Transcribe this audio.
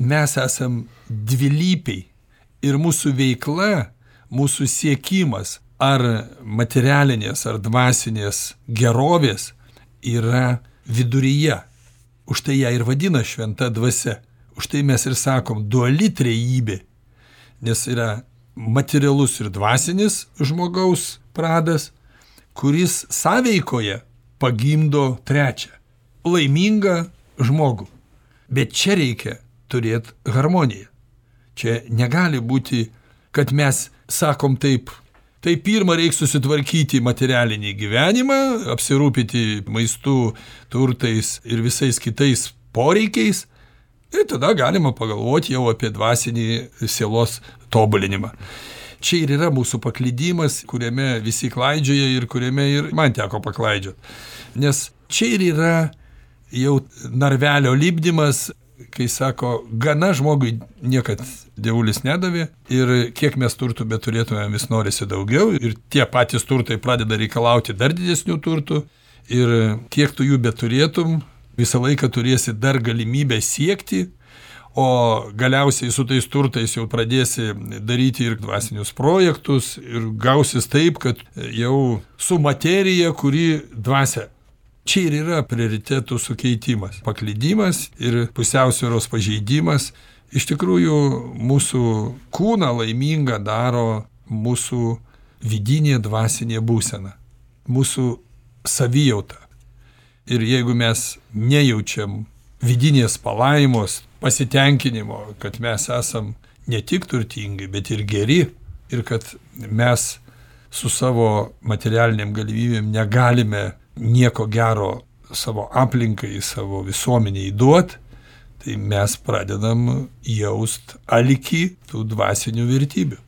mes esam dvilypiai ir mūsų veikla, mūsų siekimas ar materialinės, ar dvasinės gerovės yra viduryje. Už tai ją ir vadina šventa dvasia. Už tai mes ir sakom duali trejybė, nes yra materialus ir dvasinis žmogaus pradas, kuris sąveikoje pagimdo trečią – laimingą žmogų. Bet čia reikia turėti harmoniją. Čia negali būti, kad mes sakom taip, tai pirmą reikia susitvarkyti materialinį gyvenimą, apsirūpyti maistu, turtais ir visais kitais poreikiais, ir tada galima pagalvoti jau apie dvasinį sielos tobulinimą. Čia ir yra mūsų paklydimas, kuriame visi klaidžioja ir kuriame ir man teko paklaidžioti. Nes čia ir yra jau narvelio lipdymas, kai sako, gana žmogui niekad dievulis nedavė ir kiek mes turtų beturėtume, vis norisi daugiau ir tie patys turtai pradeda reikalauti dar didesnių turtų ir kiek tu jų beturėtum, visą laiką turėsi dar galimybę siekti, o galiausiai su tais turtais jau pradėsi daryti ir dvasinius projektus ir gausis taip, kad jau su materija, kuri dvasia. Čia ir yra prioritetų sukeitimas, paklydimas ir pusiausvyros pažeidimas. Iš tikrųjų, mūsų kūną laimingą daro mūsų vidinė dvasinė būsena, mūsų savijauta. Ir jeigu mes nejaučiam vidinės palaimos, pasitenkinimo, kad mes esam ne tik turtingi, bet ir geri, ir kad mes su savo materialiniam galimybėm negalime nieko gero savo aplinkai, savo visuomeniai duot, tai mes pradedam jaust alkį tų dvasinių vertybių.